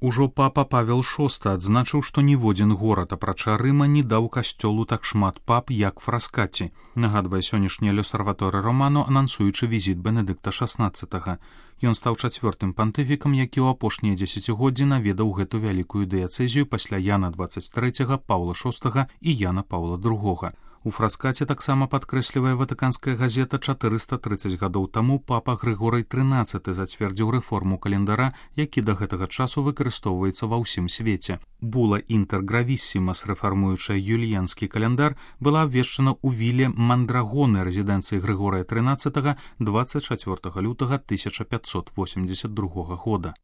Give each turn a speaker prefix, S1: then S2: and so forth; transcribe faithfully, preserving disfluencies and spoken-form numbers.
S1: Ужо папа Павел шосты адзначыў, што ніводзін горад, апрача Рыма, не даў касцёлу так шмат пап, як Фраскаці, нагадвае сённяшні L'Osservatore Romano, анансуючы візіт Бенедыкта шаснаццатага. Ён стаў чацвёртым пантыфікам, які ў апошнія дзесяцігоддзі наведаў гэту вялікую дыяцэзію пасля Яна дваццаць трэцяга, Паўла шостага і Яна Паўла другога. У Фраскаце таксама падкрэслівае ватыканская газета, чатырыста трыццаць гадоў таму папа Грыгорый трынаццаты зацвердзіў рэформу календара, які да гэтага часу выкарыстоўваецца ва ўсім свеце. Була Інтер Гравіссімас, рэфармуючая юліянскі календар, была абвешчана ў віле Мандрагоны рэзідэнцыі Грыгорыя трынаццатага дваццаць чацвёртага лютага тысяча пятьсот восемьдесят другога года.